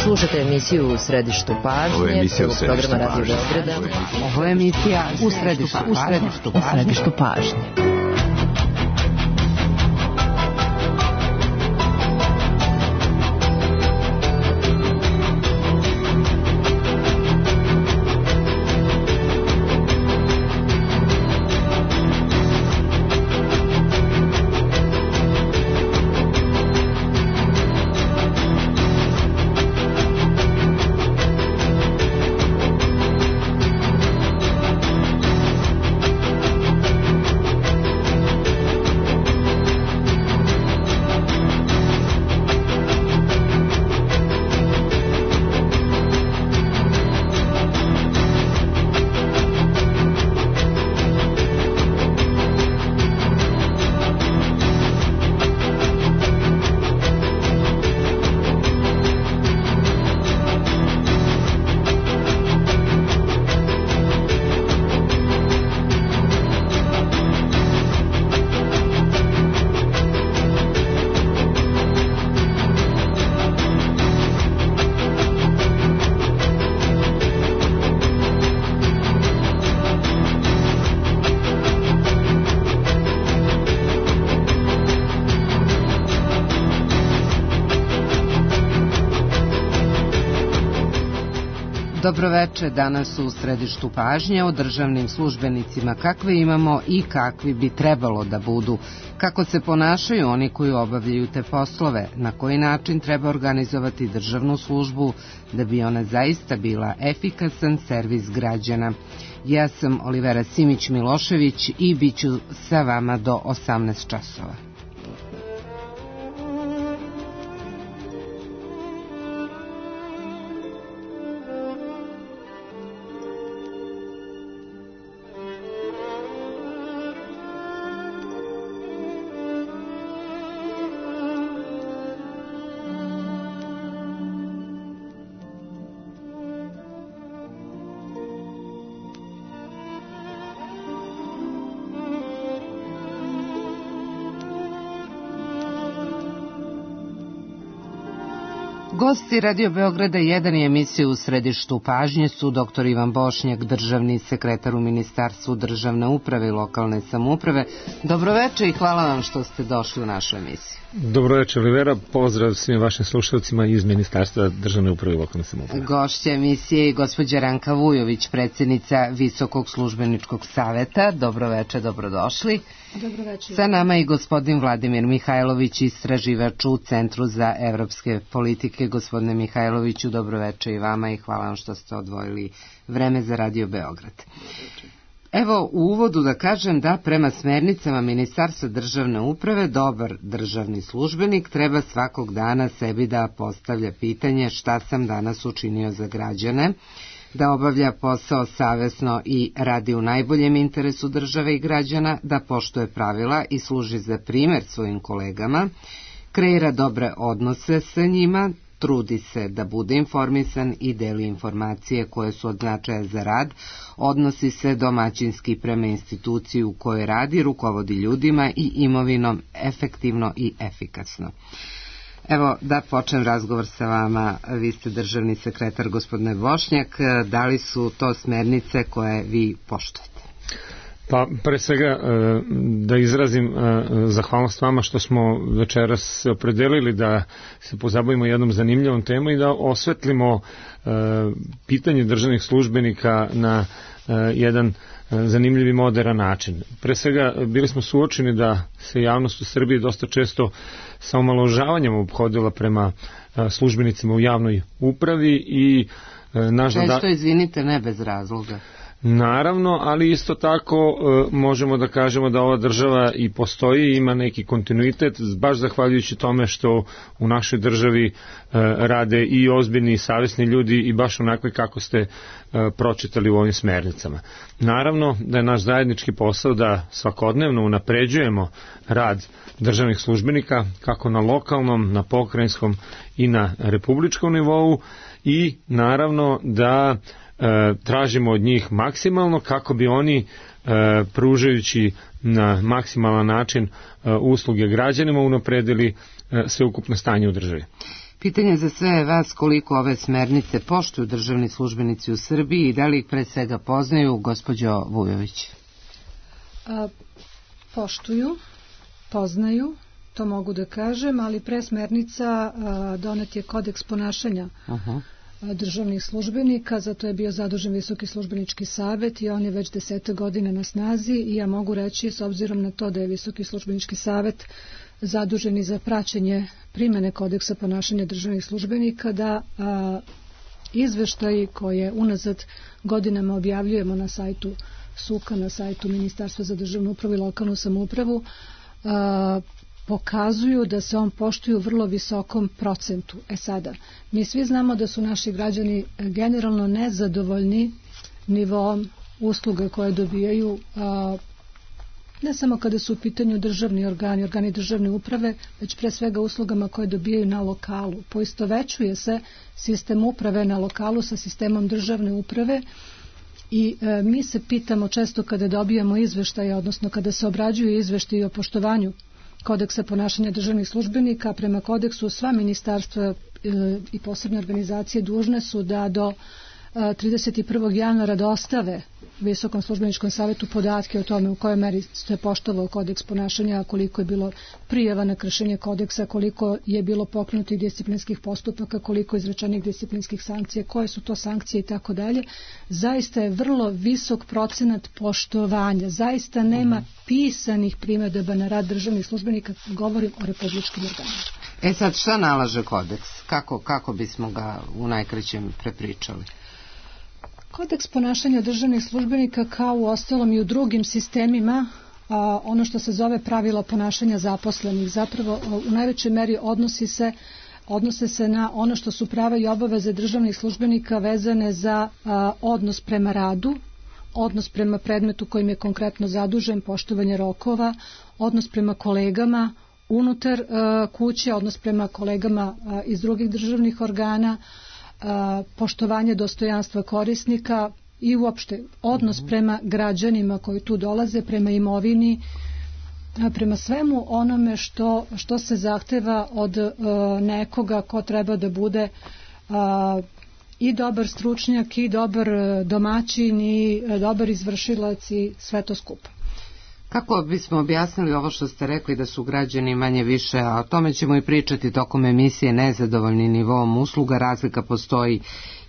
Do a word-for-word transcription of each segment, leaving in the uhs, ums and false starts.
Slušate emisiju U središtu pažnje. Ovo je emisija U središtu pažnje. Ovo je emisija U središtu pažnje. Dobroveče, danas u središtu pažnje o državnim službenicima kakve imamo i kakvi bi trebalo da budu, kako se ponašaju oni koji obavljaju te poslove, na koji način treba organizovati državnu službu da bi ona zaista bila efikasan servis građana. Ja sam Olivera Simić-Milošević i bit ću sa vama do osamnaest časova. Gosti Radio Beograda jedan i emisiju U središtu pažnje su doktor Ivan Bošnjak, državni sekretar u Ministarstvu državne uprave i lokalne samouprave. Dobroveče i hvala vam što ste došli u našu emisiju. Dobroveče, Olivera, pozdrav svim vašim slušalcima iz Ministarstva državne uprave i lokalne samouprave. Gošća emisije je gospođa Ranka Vujović, predsjednica Visokog službeničkog saveta. Dobroveče, dobrodošli. Dobroveče. Sa nama i gospodin Vladimir Mihajlović, istraživač u Centru za evropske politike. Gospodine Mihajloviću, dobroveče i vama i hvala vam što ste odvojili vreme za Radio Beograd. Evo, u uvodu da kažem da prema smernicama Ministarstva državne uprave dobar državni službenik treba svakog dana sebi da postavlja pitanje šta sam danas učinio za građane, da obavlja posao savesno i radi u najboljem interesu države i građana, da poštuje pravila i služi za primer svojim kolegama, kreira dobre odnose sa njima, trudi se da bude informisan i deli informacije koje su od značaja za rad, odnosi se domaćinski prema instituciji u kojoj radi, rukovodi ljudima i imovinom efektivno i efikasno. Evo, da počnem razgovor sa vama, vi ste državni sekretar, gospodine Bošnjak, da li su to smernice koje vi poštujete? Pa, pre svega, da izrazim zahvalnost vama što smo večeras se opredelili da se pozabavimo jednom zanimljivom temom i da osvetlimo pitanje državnih službenika na jedan zanimljiv i moderan način. Pre svega, bili smo suočeni da se javnost u Srbiji dosta često sa omalovažavanjem ophodila prema službenicima u javnoj upravi i naš... Često, izvinite, ne bez razloga. Naravno, ali isto tako e, možemo da kažemo da ova država i postoji i ima neki kontinuitet, baš zahvaljujući tome što u našoj državi e, rade i ozbiljni i savesni ljudi i baš onakve kako ste e, pročitali u ovim smernicama. Naravno da je naš zajednički posao da svakodnevno unapređujemo rad državnih službenika kako na lokalnom, na pokrajinskom i na republičkom nivou i naravno da E, tražimo od njih maksimalno kako bi oni e, pružajući na maksimalan način e, usluge građanima unapredili e, sveukupno stanje u državi. Pitanje za sve je vas koliko ove smernice poštuju državni službenici u Srbiji i da li ih pre svega poznaju, gospođo Vujović? A, poštuju, poznaju, to mogu da kažem, ali pre smernica a, donet je kodeks ponašanja Aha. državnih službenika, zato je bio zadužen Visoki službenički savet i on je već desete godine na snazi i ja mogu reći, s obzirom na to da je Visoki službenički savet zaduženi za praćenje primene kodeksa ponašanja državnih službenika, da a, izveštaji koje unazad godinama objavljujemo na sajtu SUKA, na sajtu Ministarstva za državnu upravu i lokalnu samoupravu, a, pokazuju da se on poštuju u vrlo visokom procentu. E sada, mi svi znamo da su naši građani generalno nezadovoljni nivoom usluga koje dobijaju, a, ne samo kada su u pitanju državni organi, organi državne uprave, već pre svega uslugama koje dobijaju na lokalu. Poistovećuje se sistem uprave na lokalu sa sistemom državne uprave i e, mi se pitamo često kada dobijamo izveštaje, odnosno kada se obrađuju izveštaje o poštovanju kodeksa ponašanja državnih službenika. Prema kodeksu sva ministarstva e, i posebne organizacije dužne su da do trideset prvog januara dostave Visokom službeničkom savetu podatke o tome u kojoj meri se poštovao kodeks ponašanja, koliko je bilo prijava na kršenje kodeksa, koliko je bilo pokrenutih disciplinskih postupaka, koliko izrečenih disciplinskih sankcija, koje su to sankcije i tako dalje. Zaista je vrlo visok procenat poštovanja. Zaista nema pisanih primedaba na rad državnih službenika, govorim o republičkim organima. E sad, šta nalaže kodeks? Kako, kako bismo ga u najkraćem prepričali? Kodeks ponašanja državnih službenika, kao u ostalom i u drugim sistemima, a, ono što se zove pravila ponašanja zaposlenih, zapravo u najvećoj meri odnosi se, odnose se na ono što su prava i obaveze državnih službenika vezane za a, odnos prema radu, odnos prema predmetu kojim je konkretno zadužen, poštovanje rokova, odnos prema kolegama unutar a, kuće, odnos prema kolegama a, iz drugih državnih organa, poštovanje dostojanstva korisnika i uopšte odnos prema građanima koji tu dolaze, prema imovini, prema svemu onome što, što se zahteva od nekoga ko treba da bude i dobar stručnjak i dobar domaćin i dobar izvršilac i sve to skupa. Kako bismo objasnili ovo što ste rekli da su građani manje više, a o tome ćemo i pričati tokom emisije, nezadovoljni nivom usluga, razlika postoji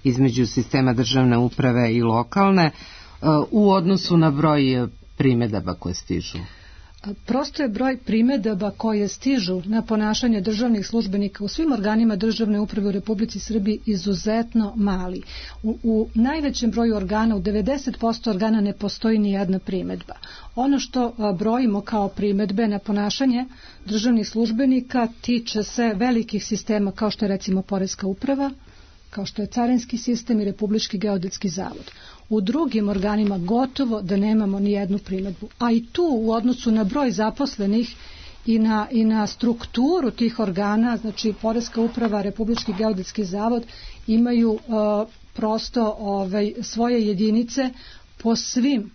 između sistema državne uprave i lokalne u odnosu na broj primedaba koje stižu? Prosto je broj primedaba koje stižu na ponašanje državnih službenika u svim organima državne uprave u Republici Srbiji izuzetno mali. U, u najvećem broju organa, u devedeset posto organa ne postoji ni jedna primedba. Ono što a, brojimo kao primedbe na ponašanje državnih službenika tiče se velikih sistema kao što je recimo Poreska uprava, kao što je Carinski sistem i Republički geodetski zavod. U drugim organima gotovo da nemamo ni jednu primedbu. A i tu u odnosu na broj zaposlenih i na, i na strukturu tih organa, znači Poreska uprava, Republički geodetski zavod imaju uh, prosto ovaj, svoje jedinice po svim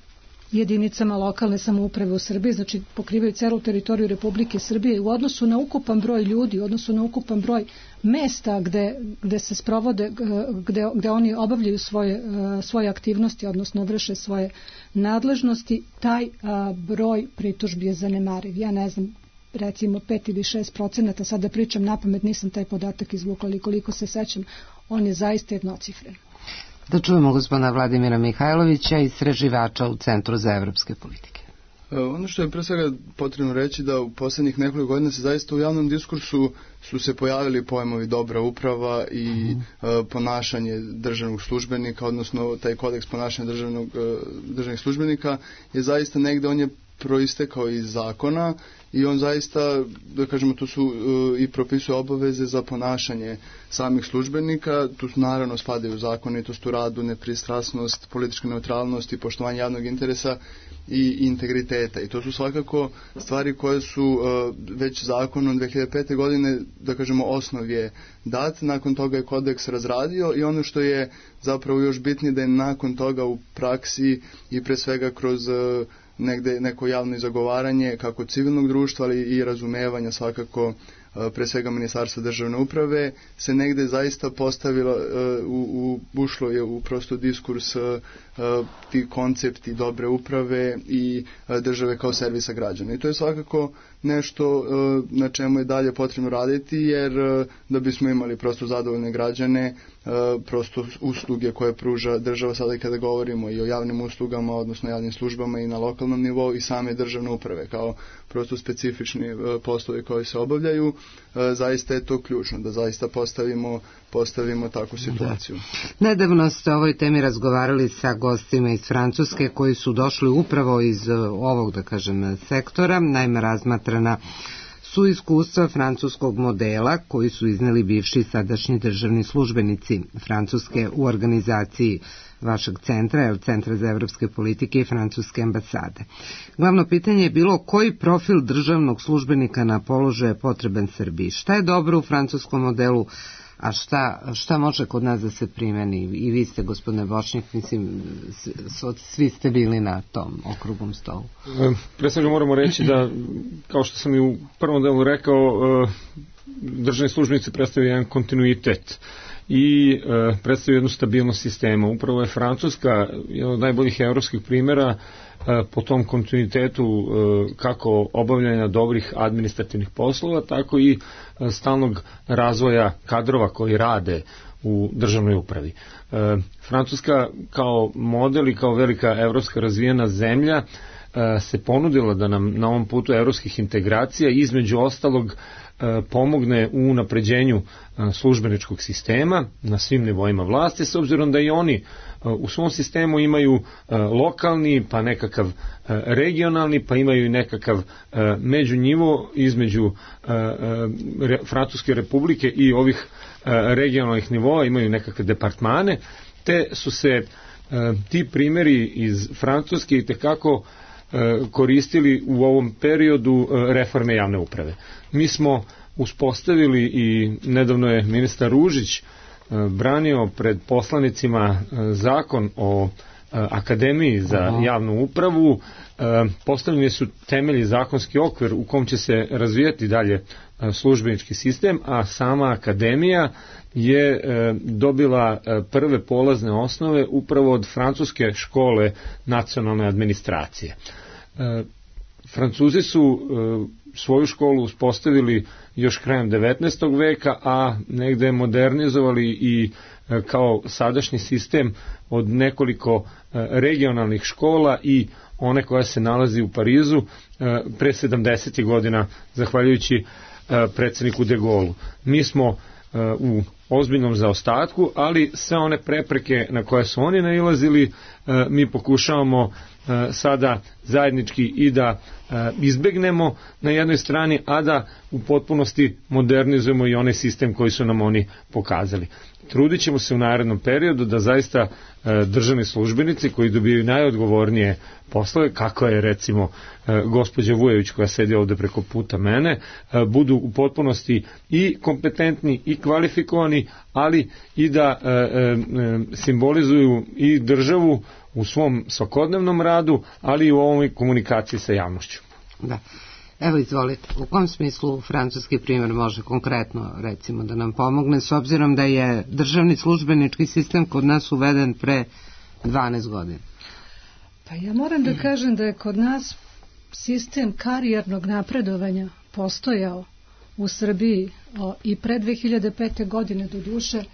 jedinicama lokalne samouprave u Srbiji, znači pokrivaju celu teritoriju Republike Srbije u odnosu na ukupan broj ljudi, u odnosu na ukupan broj mesta gde, gde se sprovode, gde, gde oni obavljaju svoje, svoje aktivnosti, odnosno vrše svoje nadležnosti, taj a, broj pritužbi je zanemariv. Ja ne znam, recimo pet ili šest procenata, sada pričam napamet, nisam taj podatak izvukla, ali koliko se sećam, on je zaista jednocifren. Da čujemo gospodina Vladimira Mihajlovića, istraživača u Centru za evropske politike. Ono što je pre svega potrebno reći da u poslednjih nekoliko godina se zaista u javnom diskursu su se pojavili pojmovi dobra uprava i uh-huh. ponašanje državnog službenika, odnosno taj kodeks ponašanja državnog, državnih službenika je zaista negde, on je proistekao iz zakona i on zaista, da kažemo, tu su uh, i propisuje obaveze za ponašanje samih službenika, tu su naravno spadaju zakonitost u radu, nepristrasnost, politička neutralnost i poštovanje javnog interesa i integriteta. I to su svakako stvari koje su uh, već zakonom dve hiljade pete. godine, da kažemo, osnov je dat, nakon toga je kodeks razradio i ono što je zapravo još bitnije da je nakon toga u praksi i pre svega kroz uh, negde neko javno zagovaranje kako civilnog društva, ali i razumevanja svakako pre svega Ministarstva državne uprave, se negde zaista postavilo, u, u, ušlo je u prosto diskurs ti koncepti dobre uprave i države kao servisa građana. I to je svakako nešto na čemu je dalje potrebno raditi, jer da bismo imali prosto zadovoljne građane, prosto usluge koje pruža država, sada i kada govorimo i o javnim uslugama, odnosno javnim službama i na lokalnom nivou i same državne uprave, kao prosto specifični poslovi koji se obavljaju, zaista je to ključno, da zaista postavimo, postavimo takvu situaciju. Da. Nedavno ste o ovoj temi razgovarali sa gostima iz Francuske koji su došli upravo iz ovog, da kažem, sektora. Naime, razmatrana su iskustva francuskog modela koji su izneli bivši i sadašnji državni službenici Francuske u organizaciji vašeg centra, Centra za evropske politike i francuske ambasade. Glavno pitanje je bilo koji profil državnog službenika na položaju je potreban Srbiji. Šta je dobro u francuskom modelu, a šta, šta može kod nas da se primeni? I vi ste, gospodine Bošnjak, mislim, svi ste bili na tom okruglom stolu. Pre svega moramo reći da, kao što sam i u prvom delu rekao, državni službenici predstavljaju jedan kontinuitet i e, predstavljaju jednu stabilnost sistema. Upravo je Francuska jedan od najboljih evropskih primjera e, po tom kontinuitetu e, kako obavljanja dobrih administrativnih poslova, tako i e, stalnog razvoja kadrova koji rade u državnoj upravi. E, Francuska kao model i kao velika evropska razvijena zemlja e, se ponudila da nam na ovom putu evropskih integracija između ostalog pomogne u unapređenju službeničkog sistema na svim nivoima vlasti, s obzirom da i oni u svom sistemu imaju lokalni, pa nekakav regionalni, pa imaju i nekakav međunivo između Francuske republike i ovih regionalnih nivoa, imaju nekakve departmane, te su se ti primjeri iz Francuske i tekako koristili u ovom periodu reforme javne uprave. Mi smo uspostavili i nedavno je ministar Ružić branio pred poslanicima zakon o Akademiji za Aha. javnu upravu. Postavljeni su temelji, zakonski okvir u kom će se razvijati dalje službenički sistem, a sama akademija je dobila prve polazne osnove upravo od francuske škole nacionalne administracije. Francuzi su svoju školu uspostavili još krajem devetnaestog veka, a negde modernizovali i kao sadašnji sistem od nekoliko regionalnih škola i one koja se nalazi u Parizu pre sedamdesetih godina, zahvaljujući predsjedniku de Gaullu. Mi smo u ozbiljnom zaostatku, ali sve one prepreke na koje su oni nailazili mi pokušavamo sada zajednički i da izbegnemo na jednoj strani, a da u potpunosti modernizujemo i onaj sistem koji su nam oni pokazali. Trudit ćemo se u narednom periodu da zaista državni službenici koji dobijaju najodgovornije poslove, kako je recimo gospođa Vujević koja sedi ovde preko puta mene, budu u potpunosti i kompetentni i kvalifikovani, ali i da simbolizuju i državu u svom svakodnevnom radu, ali i u ovoj komunikaciji sa javnošću. Da. Evo, izvolite, u kom smislu francuski primjer može konkretno, recimo, da nam pomogne, s obzirom da je državni službenički sistem kod nas uveden pre dvanaest godina? Pa ja moram da kažem da je kod nas sistem karijernog napredovanja postojao u Srbiji o, i pre dve hiljade pete. godine do duše.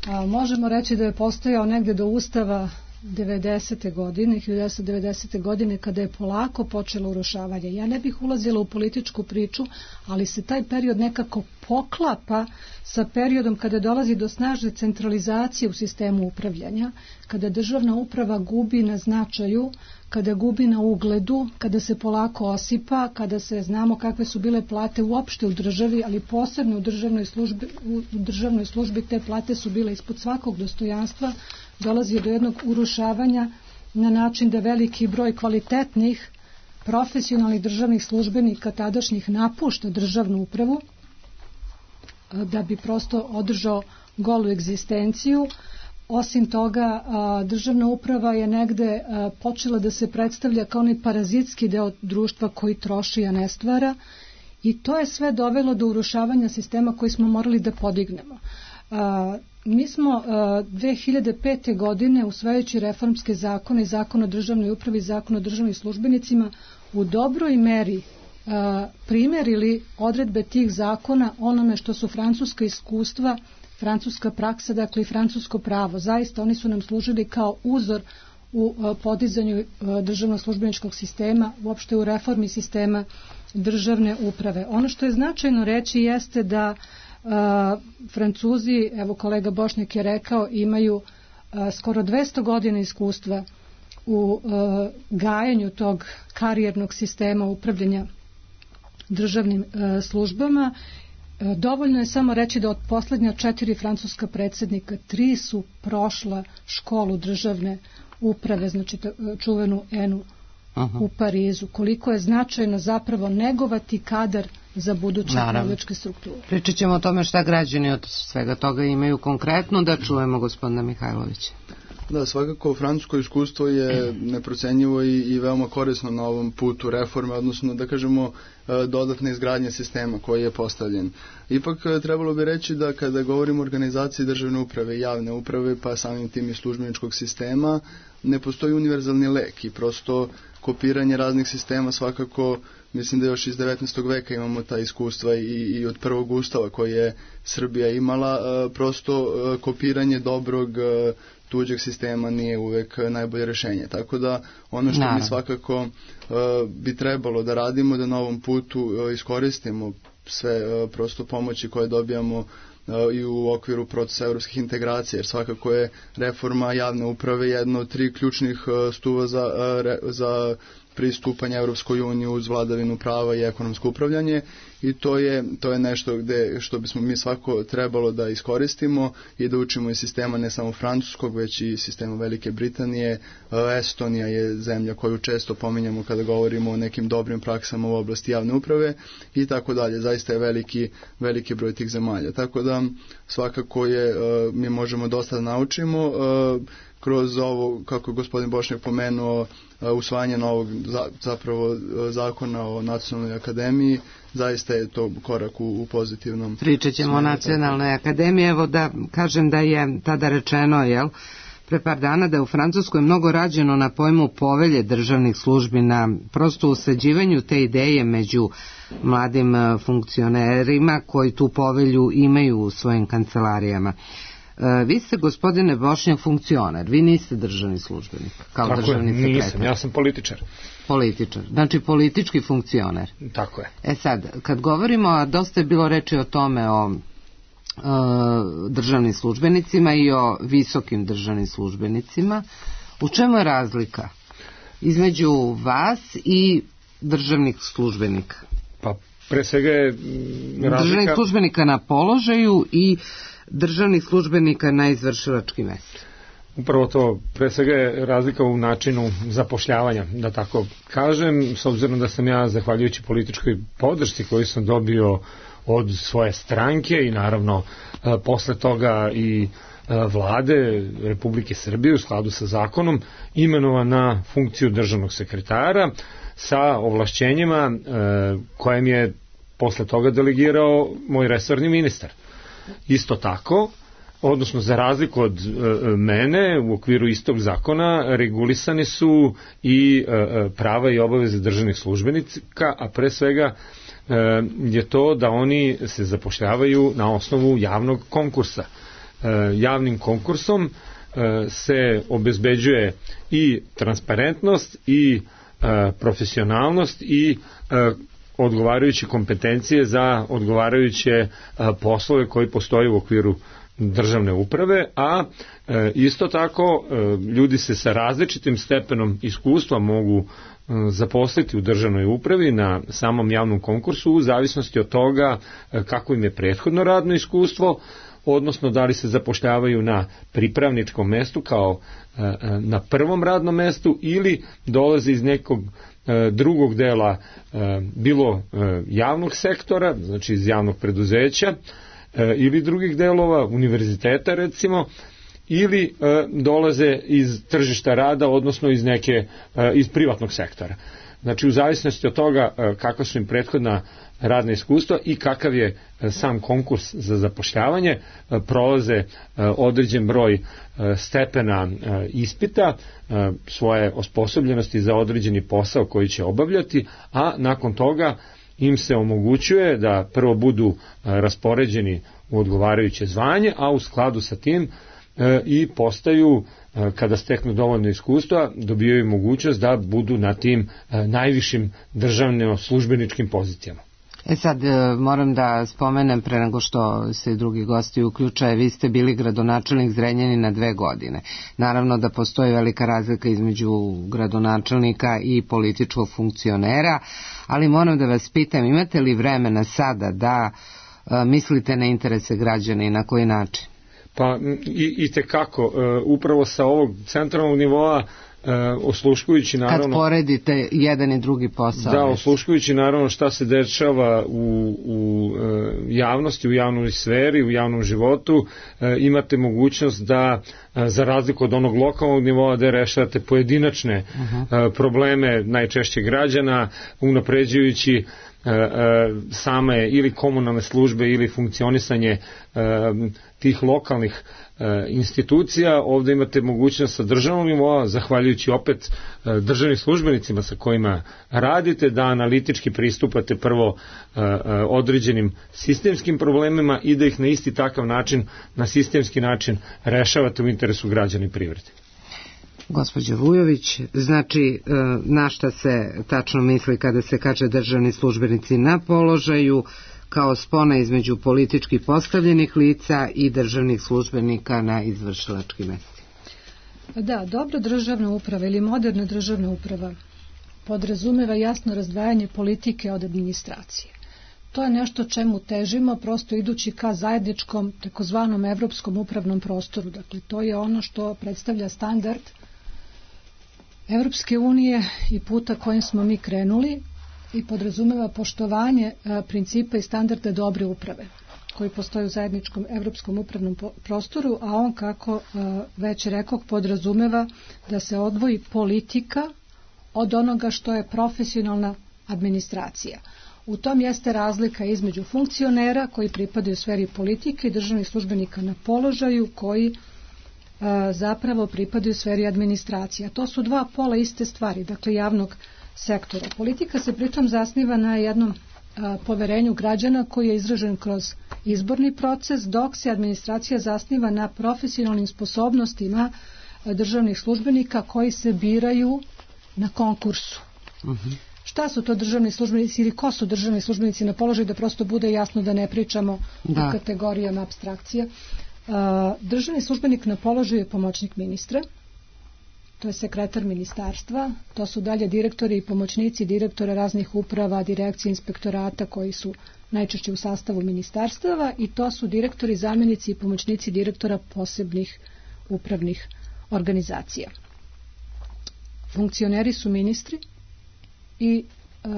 A, možemo reći da je postojao negde do Ustava devedesete godine, hiljadu devetsto devedesete. godine, kada je polako počelo urušavanje. Ja ne bih ulazila u političku priču, ali se taj period nekako poklapa sa periodom kada dolazi do snažne centralizacije u sistemu upravljanja, kada državna uprava gubi na značaju, kada gubi na ugledu, kada se polako osipa, kada se znamo kakve su bile plate uopšte u državi, ali posebno u državnoj službi, u državnoj službi te plate su bile ispod svakog dostojanstva, dolazi do jednog urušavanja na način da veliki broj kvalitetnih profesionalnih državnih službenika tadašnjih napušta državnu upravu da bi prosto održao golu egzistenciju. Osim toga, državna uprava je negde počela da se predstavlja kao onaj parazitski deo društva koji troši, a ne stvara, I to je sve dovelo do urušavanja sistema koji smo morali da podignemo. A, mi smo a, dve hiljade pete. godine, usvajajući reformske zakone, zakon o državnoj upravi, zakon o državnim službenicima, u dobroj meri a, primerili odredbe tih zakona onome što su francuska iskustva, francuska praksa, dakle i francusko pravo. Zaista oni su nam služili kao uzor u a, podizanju a, državnog službeničkog sistema, uopšte u reformi sistema državne uprave. Ono što je značajno reći jeste da Uh, Francuzi, evo kolega Bošnjak je rekao, imaju uh, skoro dvesta godina iskustva u uh, gajanju tog karijernog sistema upravljanja državnim uh, službama. Uh, dovoljno je samo reći da od poslednja četiri francuska predsjednika, tri su prošla školu državne uprave, znači čuvenu ENU Aha. u Parizu. Koliko je značajno zapravo negovati kadar za buduće upravljačke strukture. Pričat ćemo o tome šta građani od svega toga imaju konkretno, da čujemo gospodina Mihajlovića. Da, svakako francusko iskustvo je neprocenjivo i, i veoma korisno na ovom putu reforme, odnosno da kažemo dodatne izgradnje sistema koji je postavljen. Ipak trebalo bi reći da kada govorimo o organizaciji državne uprave i javne uprave, pa samim tim i službeničkog sistema, ne postoji univerzalni lek i prosto kopiranje raznih sistema svakako, mislim da još iz devetnaestog veka imamo ta iskustva i, i od prvog ustava koji je Srbija imala, prosto kopiranje dobrog tuđeg sistema nije uvek najbolje rešenje. Tako da ono što Naravno. mi svakako uh, bi trebalo da radimo, da na ovom putu uh, iskoristimo sve uh, prosto pomoći koje dobijamo uh, i u okviru procesa evropskih integracija, jer svakako je reforma javne uprave jedno od tri ključnih uh, stuva za, uh, re, za pristupanje Evropskoj uniji uz vladavinu prava i ekonomsko upravljanje i to je, to je nešto gde, što bismo mi svako trebalo da iskoristimo i da učimo iz sistema ne samo francuskog, već i sistema Velike Britanije. Estonija je zemlja koju često pominjamo kada govorimo o nekim dobrim praksama u oblasti javne uprave i tako dalje. Zaista je veliki, veliki broj tih zemalja. Tako da svakako je, mi možemo dosta da naučimo kroz ovo, kako je gospodin Bošnjak pomenuo, usvajanje novog zapravo zakona o nacionalnoj akademiji, zaista je to korak u, u pozitivnom. Pričat ćemo o nacionalnoj akademiji, evo da kažem da je tada rečeno, jel, pre par dana da je u Francuskoj mnogo rađeno na pojmu povelje državnih službi, na prosto usađivanju te ideje među mladim funkcionerima koji tu povelju imaju u svojim kancelarijama. Vi ste, gospodine Bošnjak, funkcioner, vi niste državni službenik, kao Tako državni je, sekretar. Nisam, ja sam političar. Političar, znači politički funkcioner. Tako je. E sad, kad govorimo, a dosta je bilo reči o tome, o e, državnim službenicima i o visokim državnim službenicima, u čemu je razlika između vas i državnih službenika? Pa, pre svega je razlika... Državnih službenika na položaju i državnih službenika na izvršilački mesta. Upravo to, pre svega je razlika u načinu zapošljavanja, da tako kažem, s obzirom da sam ja, zahvaljujući političkoj podršci koju sam dobio od svoje stranke i naravno posle toga i vlade Republike Srbije u skladu sa zakonom, imenovan na funkciju državnog sekretara sa ovlašćenjima kojem je posle toga delegirao moj resorni ministar. Isto tako, odnosno za razliku od e, mene, u okviru istog zakona regulisane su i e, prava i obaveze državnih službenika, a pre svega e, je to da oni se zapošljavaju na osnovu javnog konkursa. E, javnim konkursom e, se obezbeđuje i transparentnost i e, profesionalnost i e, odgovarajuće kompetencije za odgovarajuće a, poslove koji postoje u okviru državne uprave, a e, isto tako e, ljudi se sa različitim stepenom iskustva mogu e, zaposliti u državnoj upravi na samom javnom konkursu u zavisnosti od toga e, kako im je prethodno radno iskustvo, odnosno da li se zapošljavaju na pripravničkom mestu kao e, e, na prvom radnom mestu ili dolaze iz nekog drugog dela bilo javnog sektora, znači iz javnog preduzeća ili drugih delova univerziteta recimo, ili dolaze iz tržišta rada, odnosno iz neke iz privatnog sektora. Znači u zavisnosti od toga kakva su im prethodna radna iskustva i kakav je sam konkurs za zapošljavanje, prolaze određen broj stepena ispita, svoje osposobljenosti za određeni posao koji će obavljati, a nakon toga im se omogućuje da prvo budu raspoređeni u odgovarajuće zvanje, a u skladu sa tim i postaju, kada steknu dovoljno iskustva, dobijaju mogućnost da budu na tim najvišim državno službeničkim pozicijama. E sad, moram da spomenem pre nego što se drugi gosti uključaju, vi ste bili gradonačelnik Zrenjanina dve godine. Naravno da postoji velika razlika između gradonačelnika i političkog funkcionera, ali moram da vas pitam, imate li vremena sada da a, mislite na interese građana i na koji način? Pa i, i tekako, upravo sa ovog centralnog nivoa, osluškujući naravno... Kad poredite jedan i drugi posao. Da, osluškujući naravno šta se dešava u, u javnosti, u javnoj sferi, u javnom životu, imate mogućnost da, za razliku od onog lokalnog nivoa, da rešavate pojedinačne uh-huh. probleme najčešće građana, unapređujući same ili komunalne službe ili funkcionisanje tih lokalnih institucija. Ovde imate mogućnost sa državnog nivoa, zahvaljujući opet državnim službenicima sa kojima radite, da analitički pristupate prvo određenim sistemskim problemima i da ih na isti takav način, na sistemski način rešavate u interesu građana i privrede. Gospođo Vujović, znači na šta se tačno misli kada se kaže državni službenici na položaju, kao spona između politički postavljenih lica i državnih službenika na izvršilačkim mestima? Da, dobra državna uprava ili moderna državna uprava podrazumeva jasno razdvajanje politike od administracije. To je nešto čemu težimo, prosto idući ka zajedničkom, takozvanom evropskom upravnom prostoru. Dakle, to je ono što predstavlja standard Evropske unije i puta kojim smo mi krenuli i podrazumeva poštovanje principa i standarda dobre uprave koji postoji u zajedničkom evropskom upravnom prostoru, a on, kako već rekao, podrazumeva da se odvoji politika od onoga što je profesionalna administracija. U tom jeste razlika između funkcionera koji pripadaju sferi politike i državnih službenika na položaju koji zapravo pripadaju sferi administracije. To su dva pola iste stvari, dakle javnog sektora. Politika se pritom zasniva na jednom a, poverenju građana koji je izražen kroz izborni proces, dok se administracija zasniva na profesionalnim sposobnostima a, državnih službenika koji se biraju na konkursu. Uh-huh. Šta su to državni službenici ili ko su državni službenici na položaju, da prosto bude jasno da ne pričamo da. o kategorijama apstrakcije. Državni službenik na položaju je pomoćnik ministra, to je sekretar ministarstva, to su dalje direktori i pomoćnici direktora raznih uprava, direkcije, inspektorata koji su najčešće u sastavu ministarstava, i to su direktori, zamjenici i pomoćnici direktora posebnih upravnih organizacija. Funkcioneri su ministri i uh,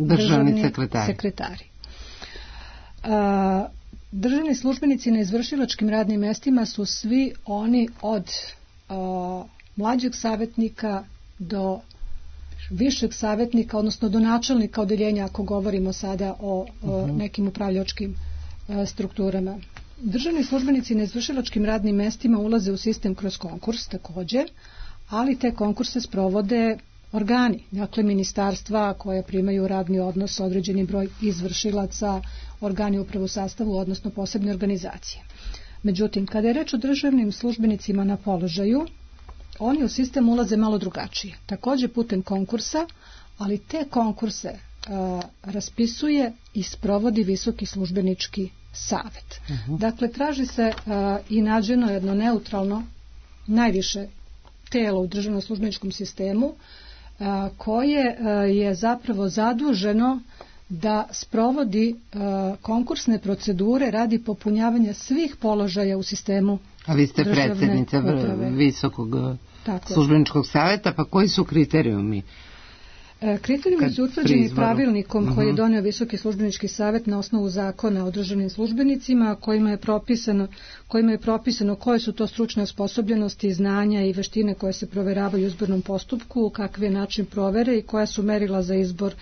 državni sekretari. sekretari. Uh, Državni službenici na izvršilačkim radnim mestima su svi oni od uh, mlađeg savjetnika do višeg savjetnika, odnosno do načelnika odeljenja, ako govorimo sada o, o uh-huh. nekim upravljačkim uh, strukturama. Državni službenici na izvršilačkim radnim mestima ulaze u sistem kroz konkurs takođe, ali te konkurse sprovode organi, dakle ministarstva koje primaju radni odnos, određeni broj izvršilaca, organi upravo u sastavu, odnosno posebne organizacije. Međutim, kada je reč o državnim službenicima na položaju, oni u sistem ulaze malo drugačije. Takođe putem konkursa, ali te konkurse a, raspisuje i sprovodi Visoki službenički savet. Uh-huh. Dakle, traži se a, i nađeno jedno neutralno, najviše telo u državnom službeničkom sistemu, a, koje a, je zapravo zaduženo da sprovodi uh, konkursne procedure radi popunjavanja svih položaja u sistemu. A vi ste predsjednica Visokog Tako. službeničkog saveta, pa koji su kriterijumi? Kriterijumi su utvrđeni pravilnikom koji je doneo Visoki službenički savet na osnovu zakona o državnim službenicima, kojima je propisano, kojima je propisano koje su to stručne osposobljenosti, znanja i veštine koje se proveravaju u izbornom postupku, kakvi je način provere i koja su merila za izbor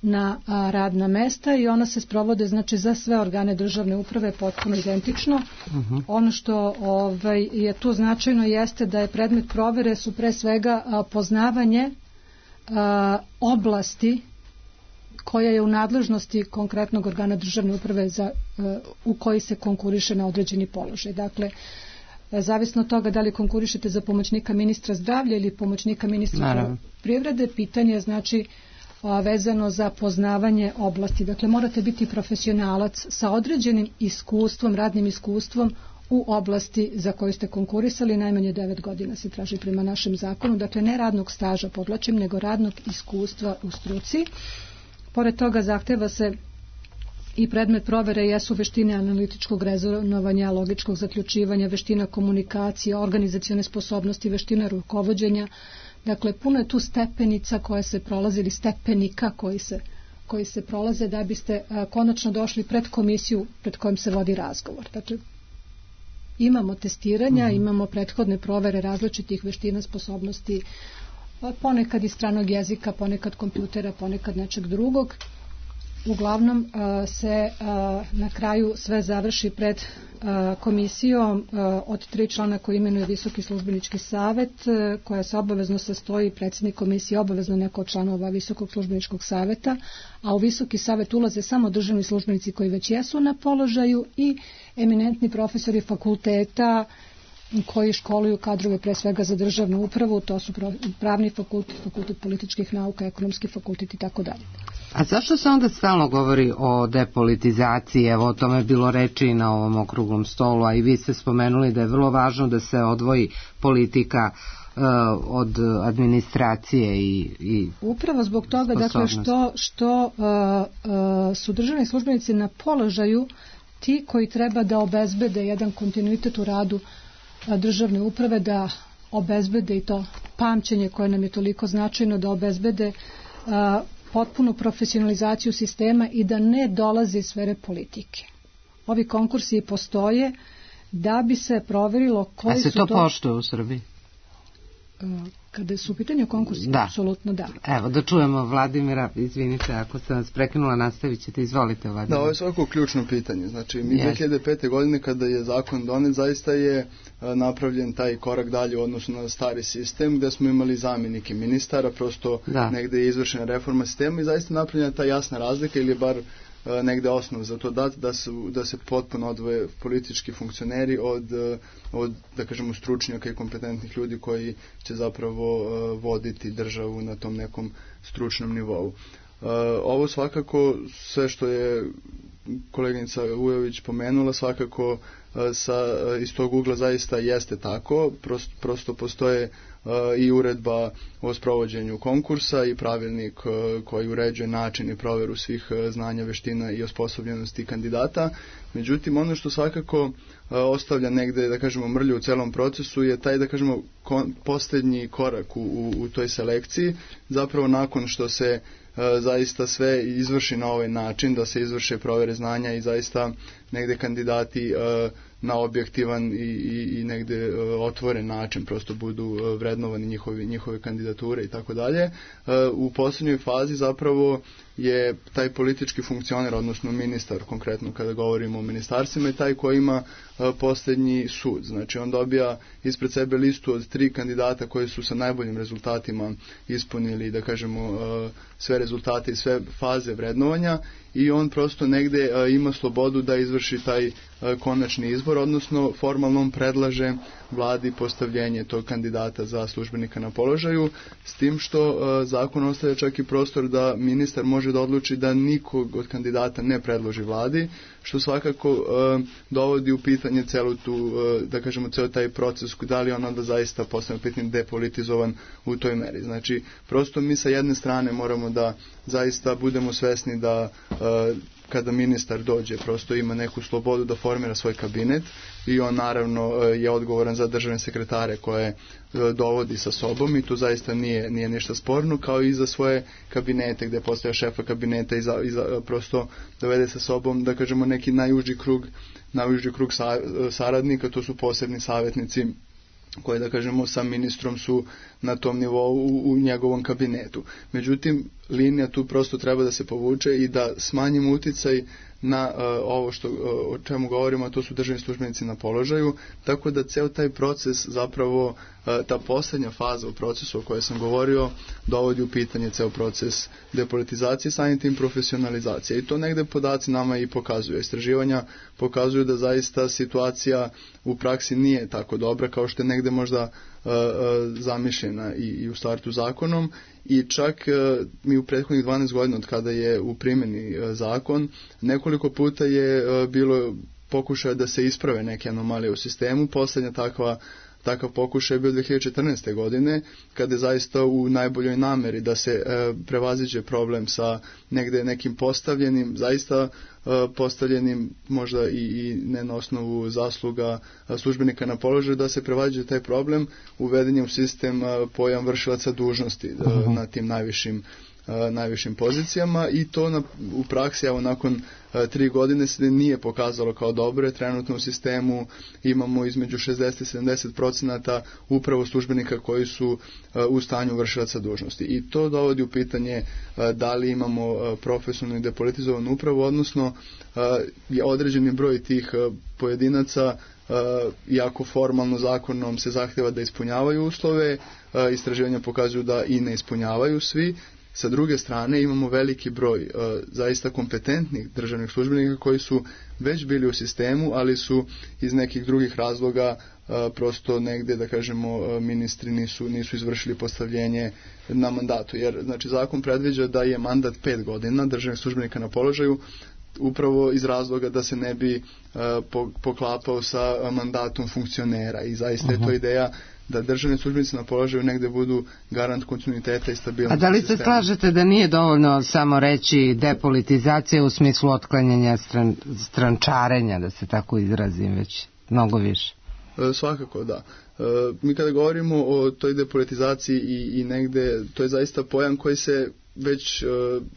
na radna mesta, i ona se sprovode znači za sve organe državne uprave potpuno identično. Uh-huh. Ono što ovaj, je tu značajno jeste da je predmet provere su pre svega a, poznavanje a, oblasti koja je u nadležnosti konkretnog organa državne uprave za, a, u koji se konkuriše na određeni položaj. Dakle, zavisno od toga da li konkurišete za pomoćnika ministra zdravlja ili pomoćnika ministra privrede, pitanje je znači vezano za poznavanje oblasti. Dakle, morate biti profesionalac sa određenim iskustvom, radnim iskustvom u oblasti za koju ste konkurisali. Najmanje devet godina se traži prema našem zakonu. Dakle, ne radnog staža, podvlačim, nego radnog iskustva u struci. Pored toga zahteva se i predmet provere jesu veštine analitičkog rezonovanja, logičkog zaključivanja, veština komunikacije, organizacione sposobnosti, veština rukovođenja. Dakle, puno je tu stepenica koje se prolaze ili stepenika koji se, koji se prolaze da biste a, konačno došli pred komisiju pred kojom se vodi razgovor. Dakle, imamo testiranja, mm-hmm. imamo prethodne provere različitih veština, sposobnosti, ponekad iz stranog jezika, ponekad kompjutera, ponekad nečeg drugog. Uglavnom a, se a, na kraju sve završi pred a, komisijom a, od tri člana koji imenuje Visoki službenički savet, a, koja se obavezno sastoji, predsjednik komisije obavezno neko od članova Visokog službeničkog saveta, a u Visoki savet ulaze samo državni službenici koji već jesu na položaju i eminentni profesori fakulteta koji školuju kadrove pre svega za državnu upravu, to su pravni fakultet, fakultet političkih nauka, ekonomski fakultet i tako dalje. A zašto se onda stalno govori o depolitizaciji? Evo, o tome je bilo reči na ovom okruglom stolu, a i vi ste spomenuli da je vrlo važno da se odvoji politika uh, od administracije i, i upravo zbog toga, dakle, što, što uh, uh, su državni službenici na položaju ti koji treba da obezbede jedan kontinuitet u radu državne uprave, da obezbede i to pamćenje koje nam je toliko značajno, da obezbede a, potpunu profesionalizaciju sistema i da ne dolazi iz sfere politike. Ovi konkursi postoje da bi se proverilo koji su to... A se to poštuje u Srbiji? A, kada su u pitanju konkursi, da. Apsolutno da. Evo, da čujemo Vladimira, izvinite, ako sam vas prekinula, nastavit ćete, izvolite Vladimir. Da, ovo je svako ključno pitanje. Znači, mi yes. dve hiljade pete. godine kada je zakon donet, zaista je a, napravljen taj korak dalje u odnosu na stari sistem, gde smo imali zamjenike ministara, prosto da. negde je izvršena reforma sistema i zaista napravljena ta jasna razlika ili bar negde osnov za to dat, da, su, da se potpuno odvoje politički funkcioneri od, od, da kažemo, stručnjaka i kompetentnih ljudi koji će zapravo uh, voditi državu na tom nekom stručnom nivou. Uh, ovo svakako, sve što je koleginica Ujović pomenula, svakako uh, sa, uh, iz tog ugla zaista jeste tako, prosto, prosto postoje uh, i uredba o sprovođenju konkursa i pravilnik uh, koji uređuje način i proveru svih uh, znanja, veština i osposobljenosti kandidata. Međutim, ono što svakako uh, ostavlja negde, da kažemo, mrlju u celom procesu je taj, da kažemo, kon, posljednji korak u, u, u toj selekciji, zapravo nakon što se zaista sve izvrši na ovaj način, da se izvrše provere znanja i zaista negde kandidati uh, na objektivan i, i, i negde uh, otvoren način prosto budu uh, vrednovani njihovi, njihove kandidature i tako dalje. U posljednjoj fazi zapravo je taj politički funkcioner, odnosno ministar, konkretno kada govorimo o ministarstvima, je taj koji ima uh, posljednji sud. Znači on dobija ispred sebe listu od tri kandidata koji su sa najboljim rezultatima ispunili, da kažemo, uh, sve rezultate i sve faze vrednovanja i on prosto negde uh, ima slobodu da izvrši taj uh, konačni izbor, odnosno formalno on predlaže vladi postavljenje tog kandidata za službenika na položaju, s tim što uh, zakon ostavlja čak i prostor da ministar može da odluči da nikog od kandidata ne predloži vladi, što svakako uh, dovodi u pitanje celu tu, uh, da kažemo, ceo taj proces, da li on onda zaista postane pitanje depolitizovan u toj meri. Znači, prosto mi sa jedne strane moramo da zaista budemo svesni da uh, kada ministar dođe, prosto ima neku slobodu da formira svoj kabinet i on naravno je odgovoran za državne sekretare koje dovodi sa sobom i tu zaista nije, nije ništa sporno, kao i za svoje kabinete gde postaje šefa kabineta i, za, i za, prosto dovede sa sobom, da kažemo, neki najuži krug, najuži krug sa, saradnika, to su posebni savjetnici koje, da kažemo, sa ministrom su na tom nivou u, u njegovom kabinetu. Međutim, linija tu prosto treba da se povuče i da smanjimo uticaj na uh, ovo što, uh, o čemu govorimo, a to su državni službenici na položaju, tako da ceo taj proces, zapravo uh, ta poslednja faza u procesu o kojoj sam govorio, dovodi u pitanje ceo proces depolitizacije, samim tim profesionalizacije. I to negde podaci nama i pokazuju. Istraživanja pokazuju da zaista situacija u praksi nije tako dobra kao što je negde možda uh, uh, zamišljena i, i u startu zakonom. I čak uh, mi u prethodnih dvanaest godina od kada je u primjeni uh, zakon, nekoliko puta je uh, bilo pokušaja da se isprave neke anomalije u sistemu. Poslednja takva Takav pokušaj je bio dve hiljade četrnaeste. godine, kada je zaista u najboljoj nameri da se e, prevaziđe problem sa negde nekim postavljenim, zaista e, postavljenim možda i, i ne na osnovu zasluga a, službenika na položaju, da se prevaziđe taj problem, uveden je u sistem a, pojam vršilaca dužnosti a, uh-huh. na tim najvišim najvišim pozicijama i to na, u praksi, evo, nakon a, tri godine se nije pokazalo kao dobro. Trenutno u sistemu imamo između šezdeset i sedamdeset procenata upravo službenika koji su a, u stanju vršilaca dužnosti. I to dovodi u pitanje a, da li imamo a, profesionalno i depolitizovanu upravu, odnosno a, je određeni broj tih a, pojedinaca, a, iako formalno zakonom se zahteva da ispunjavaju uslove, a, istraživanja pokazuju da i ne ispunjavaju svi. Sa druge strane imamo veliki broj uh, zaista kompetentnih državnih službenika koji su već bili u sistemu, ali su iz nekih drugih razloga uh, prosto negdje, da kažemo, uh, ministri nisu, nisu izvršili postavljenje na mandatu. Jer, znači, zakon predviđa da je mandat pet godina državnih službenika na položaju, upravo iz razloga da se ne bi uh, po, poklapao sa mandatom funkcionera i zaista uh-huh. je to ideja da državni službenici na položaju negde budu garant kontinuiteta i stabilnosti. A da li se sistema. slažete da nije dovoljno samo reći depolitizacija u smislu otklanjanja stran, strančarenja, da se tako izrazim, već mnogo više? E, svakako, da. E, mi kada govorimo o toj depolitizaciji i, i negde, to je zaista pojam koji se već uh,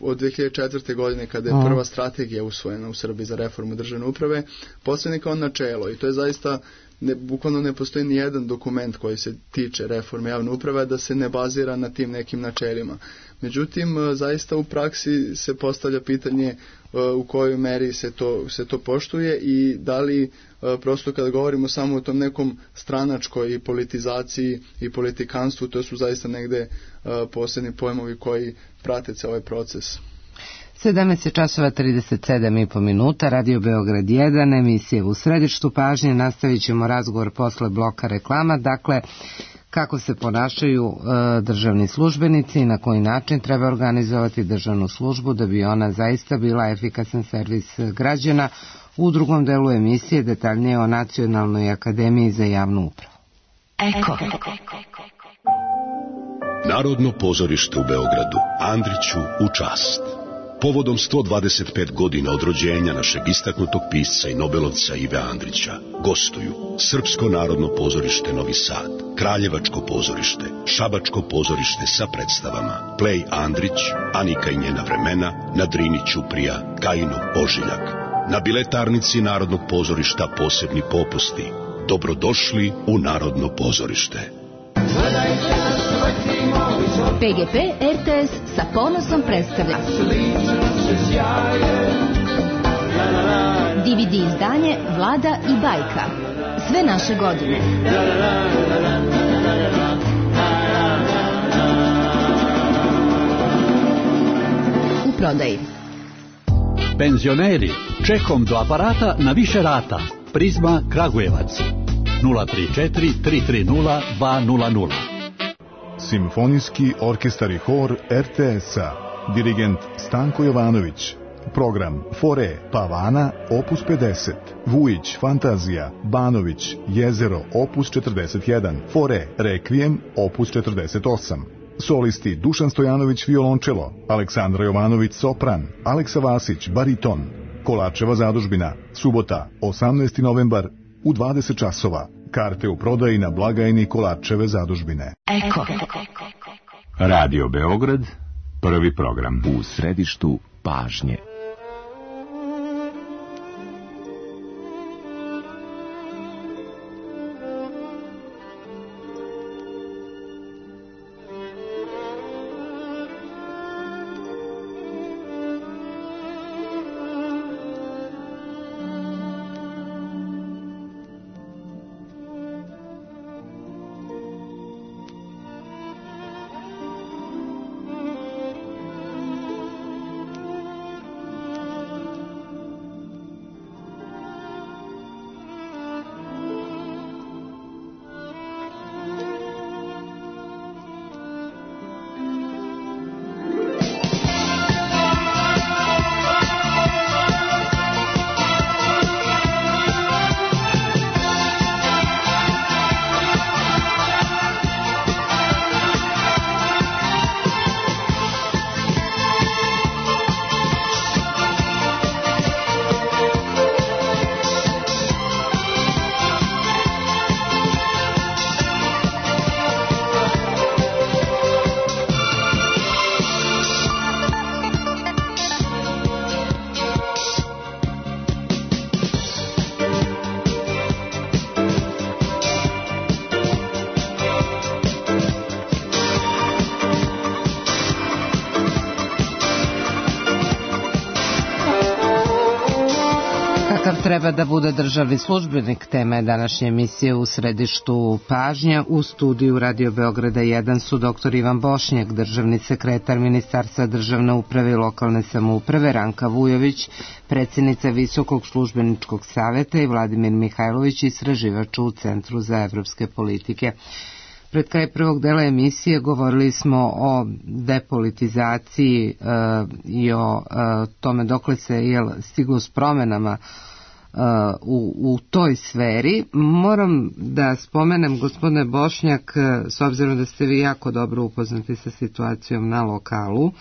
od dve hiljade četvrte. godine, kada je prva strategija usvojena u Srbiji za reformu državne uprave, postavljena kao načelo i to je zaista, ne, bukvalno ne postoji ni jedan dokument koji se tiče reforme javne uprave da se ne bazira na tim nekim načelima. Međutim, uh, zaista u praksi se postavlja pitanje uh, u kojoj meri se to, se to poštuje i da li uh, prosto kada govorimo samo o tom nekom stranačkoj politizaciji i politikanstvu, to su zaista negde uh, posebni pojmovi koji prate ceo ovaj proces. sedamnaest časova trideset sedam i po minuta, Radio Beograd jedan, emisije u središtu pažnje. Nastavit ćemo razgovor posle bloka reklama. Dakle, kako se ponašaju e, državni službenici i na koji način treba organizovati državnu službu da bi ona zaista bila efikasan servis građana. U drugom delu emisije detaljnije o Nacionalnoj akademiji za javnu upravu. Eko. Narodno pozorište u Beogradu, Andriću u čast. Povodom sto dvadeset pet godina od rođenja našeg istaknutog pisca i nobelovca Ive Andrića gostuju Srpsko narodno pozorište Novi Sad, Kraljevačko pozorište, Šabačko pozorište sa predstavama Plej Andrić, Anika i njena vremena, na Drini Ćuprija, Kajino Ožiljak. Na biletarnici Narodnog pozorišta posebni popusti. Dobrodošli u Narodno pozorište. P G P R T S sa ponosom predstavlja D V D izdanje Vlada i bajka. Sve naše godine. U prodaji. Penzioneri, čekom do aparata na više rata. Prizma Kragujevac. nula tri četiri tri tri nula dva nula nula. Simfonijski orkestar i hor R T S-a. Dirigent Stanko Jovanović. Program Fore Pavana opus pedeset. Vujić Fantazija. Banović Jezero opus četrdeset jedan. Fore Rekvijem opus četrdeset osam. Solisti Dušan Stojanović violončelo, Aleksandra Jovanović sopran, Aleksa Vasić bariton, Kolarčeva zadužbina, subota, osamnaesti novembar u dvadeset časova. Karte u prodaji na blagajni Kolarčeve zadužbine. Eko. Radio Beograd, prvi program. U središtu pažnje. Treba da bude državni službenik, tema je današnje emisije U središtu pažnja. U studiju Radio Beograda jedan su doktor Ivan Bošnjak, državni sekretar Ministarstva državne uprave i lokalne samouprave, Ranka Vujović, predsjednica Visokog službeničkog saveta i Vladimir Mihajlović, istraživač u Centru za evropske politike. Pred kraj prvog dela emisije govorili smo o depolitizaciji e, i o e, tome dokle se jel, stiglo s promenama U, u toj sferi. Moram da spomenem, gospodine Bošnjak, s obzirom da ste vi jako dobro upoznati sa situacijom na lokalu,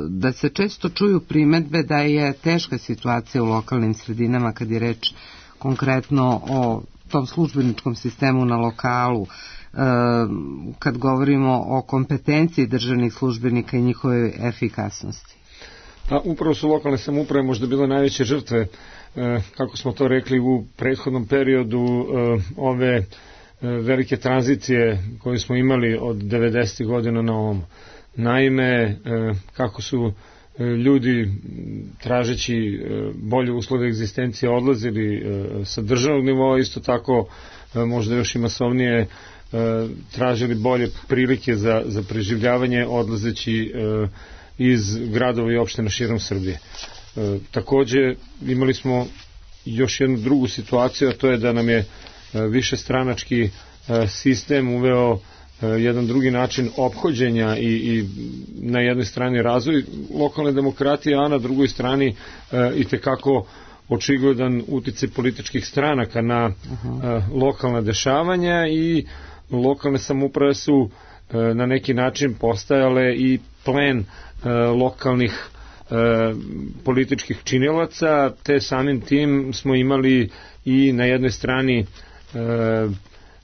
da se često čuju primedbe da je teška situacija u lokalnim sredinama kad je reč konkretno o tom službeničkom sistemu na lokalu, kad govorimo o kompetenciji državnih službenika i njihove efikasnosti. A upravo su lokalne samouprave možda bile najveće žrtve, kako smo to rekli u prethodnom periodu, ove velike tranzicije koje smo imali od devedesetih godina na ovom. Naime, kako su ljudi tražeći bolje uslove egzistencije odlazili sa državnog nivoa, isto tako možda još i masovnije tražili bolje prilike za, za preživljavanje odlazeći iz gradova i opština širom Srbije. E, takođe imali smo još jednu drugu situaciju, a to je da nam je višestranački e, sistem uveo e, jedan drugi način ophođenja i, i na jednoj strani razvoj lokalne demokratije, a na drugoj strani e, i tekako očigledan uticaj političkih stranaka na e, lokalna dešavanja i lokalne samouprave su e, na neki način postajale i plen lokalnih e, političkih činilaca, te samim tim smo imali i na jednoj strani e,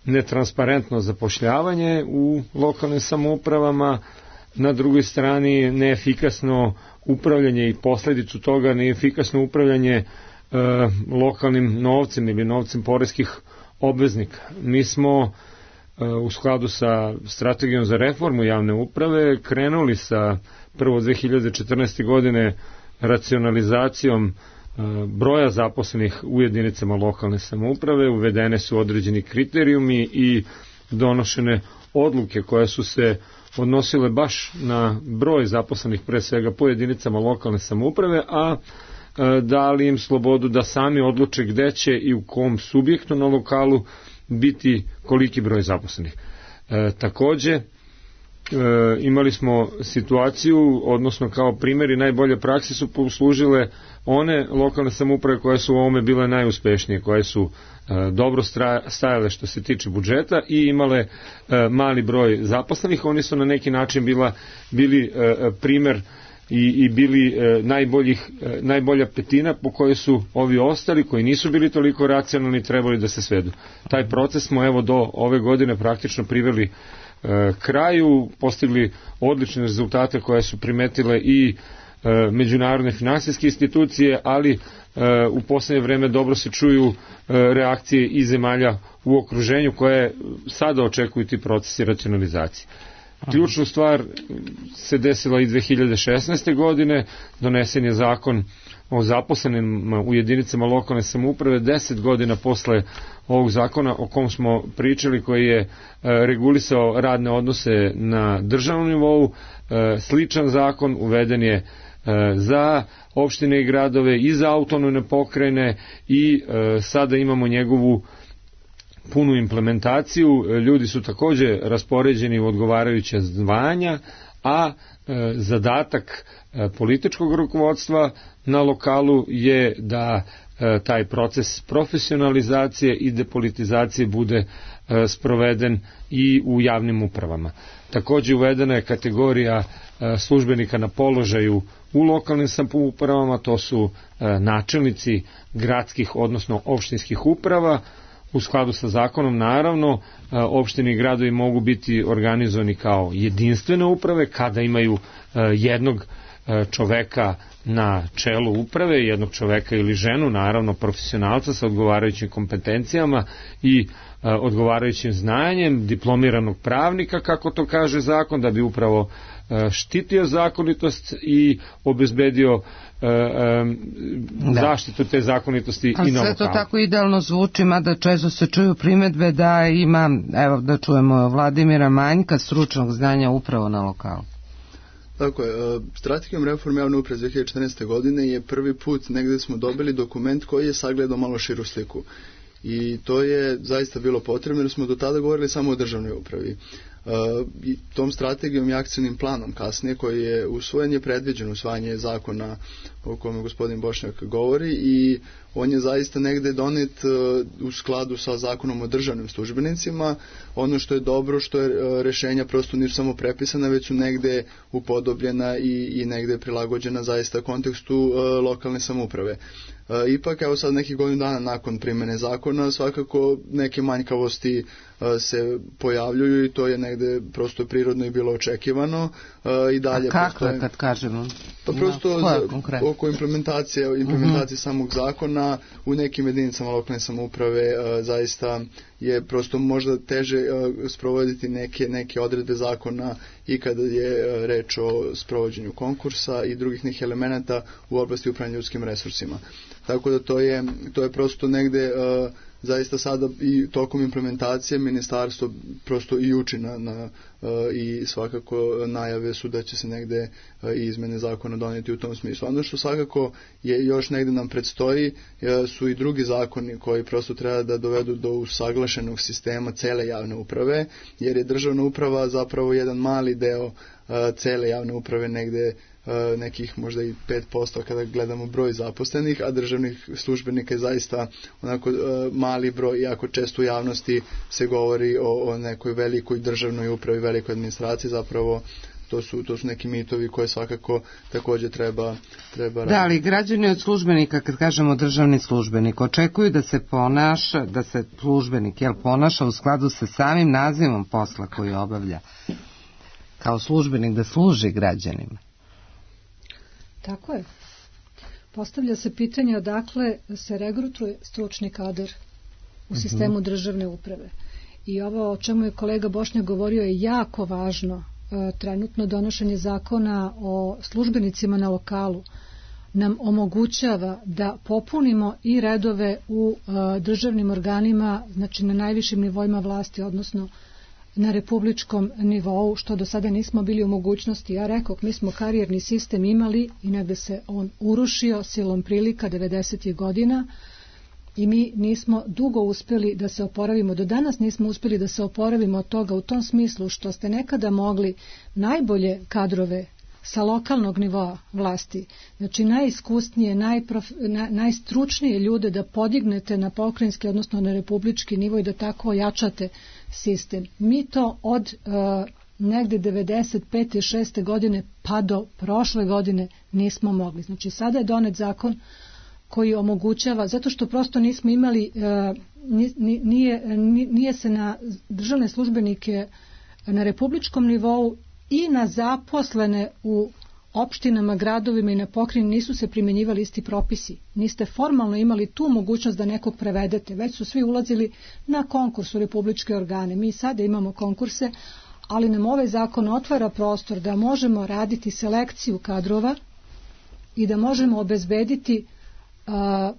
netransparentno zapošljavanje u lokalnim samoupravama, na drugoj strani neefikasno upravljanje i posledicu toga neefikasno upravljanje e, lokalnim novcem ili novcem poreskih obveznika. Mi smo u skladu sa strategijom za reformu javne uprave krenuli sa prvo dve hiljade četrnaeste. godine racionalizacijom broja zaposlenih u jedinicama lokalne samouprave, uvedene su određeni kriterijumi i donošene odluke koje su se odnosile baš na broj zaposlenih pre svega po jedinicama lokalne samouprave, a dali im slobodu da sami odluče gde će i u kom subjektu na lokalu biti koliki broj zaposlenih. E, takođe, e, imali smo situaciju, odnosno kao primjeri najbolje prakse su poslužile one lokalne samouprave koje su u ovome bile najuspešnije, koje su e, dobro stajale što se tiče budžeta i imale e, mali broj zaposlenih. Oni su na neki način bila, bili e, primer i, i bili e, najboljih, e, najbolja petina po kojoj su ovi ostali koji nisu bili toliko racionalni trebali da se svedu. Taj proces smo evo do ove godine praktično priveli e, kraju, postigli odlične rezultate koje su primetile i e, međunarodne finansijske institucije, ali e, u poslednje vreme dobro se čuju e, reakcije i zemalja u okruženju koje sada očekuju ti procesi racionalizacije. Ključnu stvar se desila i dve hiljade šesnaeste. godine, donesen je zakon o zaposlenim u jedinicama lokalne samouprave, deset godina posle ovog zakona o kom smo pričali, koji je regulisao radne odnose na državnom nivou. Sličan zakon uveden je za opštine i gradove i za autonomne pokrajine i sada imamo njegovu punu implementaciju. Ljudi su takođe raspoređeni u odgovarajuća zvanja, a e, zadatak e, političkog rukovodstva na lokalu je da e, taj proces profesionalizacije i depolitizacije bude e, sproveden i u javnim upravama. Takođe uvedena je kategorija e, službenika na položaju u lokalnim samoupravama, to su e, načelnici gradskih, odnosno opštinskih uprava. U skladu sa zakonom, naravno, opštine i gradovi mogu biti organizovani kao jedinstvene uprave kada imaju jednog čoveka na čelu uprave, jednog čoveka ili ženu, naravno profesionalca sa odgovarajućim kompetencijama i odgovarajućim znanjem, diplomiranog pravnika, kako to kaže zakon, da bi upravo štitio zakonitost i obezbedio e, e, zaštitu te zakonitosti i na lokalu. A sve to tako idealno zvuči, mada često se čuju primedbe da ima, evo da čujemo Vladimira, manjka stručnog znanja upravo na lokalu. Tako je, strategijom reforme javne uprave dve hiljade četrnaeste. godine je prvi put negde smo dobili dokument koji je sagledao malo širu sliku. I to je zaista bilo potrebno jer smo do tada govorili samo o državnoj upravi. Uh, i tom strategijom i akcijnim planom kasnije koji je usvojen je predviđeno usvajanje zakona o kome gospodin Bošnjak govori i on je zaista negde donet uh, u skladu sa zakonom o državnim službenicima. Ono što je dobro što je uh, rešenja prosto nisu samo prepisana, već su negde upodobljena i, i negde prilagođena zaista kontekstu uh, lokalne samouprave. Uh, ipak, evo sad nekih godinu dana nakon primene zakona, svakako neke manjkavosti uh, se pojavljuju i to je negde prosto prirodno i bilo očekivano. Uh, i dalje A kako postoje, je kad kažemo? Pa prosto no, za, oko implementacije, implementacije uh-huh. samog zakona u nekim jedinicama lokalne samouprave uh, zaista je prosto možda teže uh, sprovoditi neke, neke odredbe zakona i kada je uh, reč o sprovođenju konkursa i drugih nekih elemenata u oblasti upravljanja ljudskim resursima. Tako da to je, to je prosto negde uh, zaista sada i tokom implementacije ministarstvo prosto i uči na, na uh, i svakako najave su da će se negde uh, i izmene zakona doneti u tom smislu. Ono što svakako je još negde nam predstoji uh, su i drugi zakoni koji prosto treba da dovedu do usaglašenog sistema cele javne uprave, jer je državna uprava zapravo jedan mali deo uh, cele javne uprave, negde Uh, nekih možda i pet posto kada gledamo broj zaposlenih, a državnih službenika je zaista onako uh, mali broj, iako često u javnosti se govori o, o nekoj velikoj državnoj upravi, velikoj administraciji, zapravo to su, to su neki mitovi koje svakako takođe treba, treba raditi. Da, ali građani od službenika, kad kažemo državni službenik, očekuju da se ponaša, da se službenik jel, ponaša u skladu sa samim nazivom posla koji obavlja, kao službenik da služi građanima. Tako je. Postavlja se pitanje odakle se regrutuje stručni kadar u sistemu državne uprave. I ovo o čemu je kolega Bošnjak govorio je jako važno. Trenutno donošenje zakona o službenicima na lokalu nam omogućava da popunimo i redove u državnim organima, znači na najvišim nivoima vlasti, odnosno na republičkom nivou, što do sada nismo bili u mogućnosti. Ja rekao, mi smo karijerni sistem imali i negde se on urušio silom prilika devedesetih godina i mi nismo dugo uspeli da se oporavimo. Do danas nismo uspeli da se oporavimo od toga u tom smislu što ste nekada mogli najbolje kadrove sa lokalnog nivoa vlasti, znači najiskusnije, najprof, na, najstručnije ljude da podignete na pokrajinski, odnosno na republički nivo i da tako ojačate sistem. Mi to od uh, negde devedeset pete šeste godine pa do prošle godine nismo mogli. Znači sada je donet zakon koji omogućava, zato što prosto nismo imali, nije, nije se na državne službenike na republičkom nivou i na zaposlene u opštinama, gradovima i na pokrajini nisu se primjenjivali isti propisi. Niste formalno imali tu mogućnost da nekog prevedete, već su svi ulazili na konkurs u republičke organe. Mi sada imamo konkurse, ali nam ovaj zakon otvara prostor da možemo raditi selekciju kadrova i da možemo obezbediti a,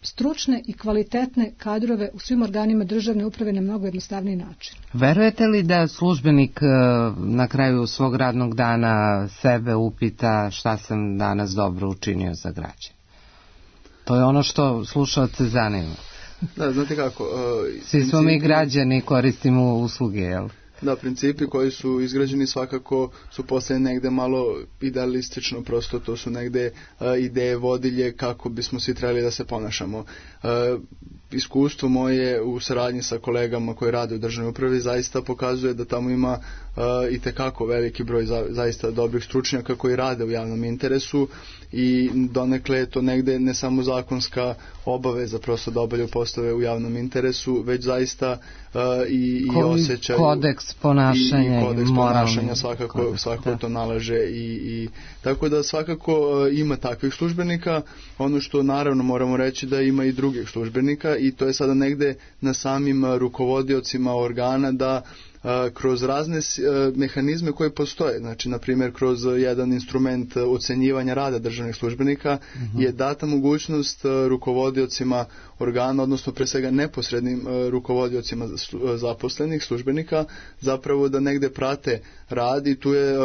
stručne i kvalitetne kadrove u svim organima državne uprave na mnogo jednostavniji način. Verujete li da službenik na kraju svog radnog dana sebe upita šta sam danas dobro učinio za građane? To je ono što slušaoce zanima. Da, znate kako... Uh, Svi smo mi građani, koristimo usluge, jel? Da, principi koji su izgrađeni svakako su posle negde malo idealistično, prosto to su negde uh, ideje vodilje kako bismo svi trebali da se ponašamo. Uh, iskustvo moje u saradnji sa kolegama koji rade u državnoj upravi zaista pokazuje da tamo ima uh, i tekako veliki broj za, zaista dobrih stručnjaka koji rade u javnom interesu i donekle je to negde ne samo zakonska obaveza prosto da obavljaju poslove u javnom interesu, već zaista uh, i, i osjećaju kodeks ponašanja i, i kodeks ponašanja svakako, kodeks, svakako da. To nalaže i, i tako da svakako uh, ima takvih službenika. Ono što naravno moramo reći da ima i drugih službenika i to je sada negde na samim uh, rukovodiocima organa da kroz razne mehanizme koje postoje, znači na primjer kroz jedan instrument ocenjivanja rada državnih službenika uh-huh. je data mogućnost rukovodiocima organa, odnosno pre svega neposrednim rukovodiocima zaposlenih službenika zapravo da negde prate rad i tu je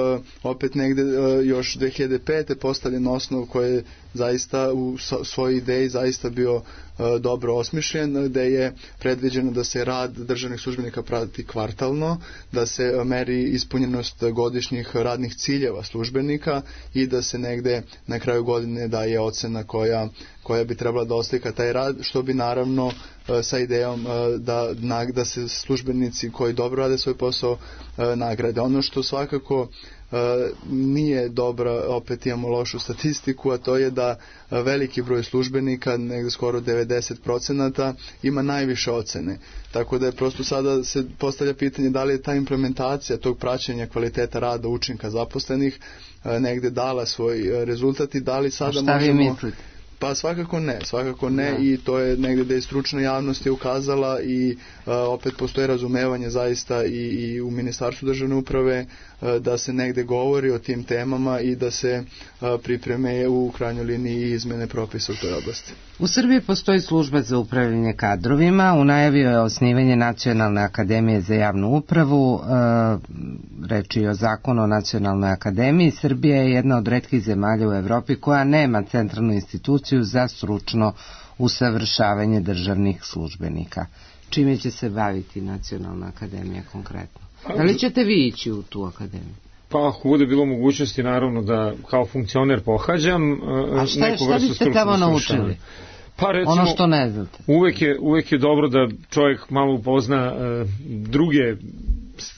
opet negde još dve hiljade pete postavljen osnov koji je zaista u svojoj ideji zaista bio dobro osmišljen, gde je predviđeno da se rad državnih službenika prati kvartalno, da se meri ispunjenost godišnjih radnih ciljeva službenika i da se negde na kraju godine daje ocena koja, koja bi trebala da oslika taj rad, što bi naravno sa idejom da, da se službenici koji dobro rade svoj posao nagrade. Ono što svakako Uh, nije dobra, opet imamo lošu statistiku, a to je da veliki broj službenika, negde skoro devedeset procenata, ima najviše ocene. Tako da je prosto sada se postavlja pitanje da li je ta implementacija tog praćenja kvaliteta rada učinka zaposlenih uh, negde dala svoj rezultat i da li sada možemo... A šta vi mislite? Pa svakako ne, svakako ne da. I to je negde da je stručna javnost je ukazala i uh, opet postoje razumevanje zaista i, i u Ministarstvu državne uprave uh, da se negde govori o tim temama i da se uh, pripreme u krajnjoj liniji izmene propisa u toj oblasti. U Srbiji postoji služba za upravljanje kadrovima, u najavi je osnivanje Nacionalne akademije za javnu upravu, uh, reč je o zakonu o Nacionalnoj akademiji. Srbija je jedna od retkih zemalja u Evropi koja nema centralnu instituciju za stručno usavršavanje državnih službenika. Čime će se baviti Nacionalna akademija konkretno? Da li ćete vi ići u tu akademiju? Pa ako bude bilo mogućnosti naravno da kao funkcioner pohađam A šta, neku šta biste tamo naučili? Pa recimo, ono što ne znate. Uvek je, uvek je dobro da čovjek malo upozna uh, druge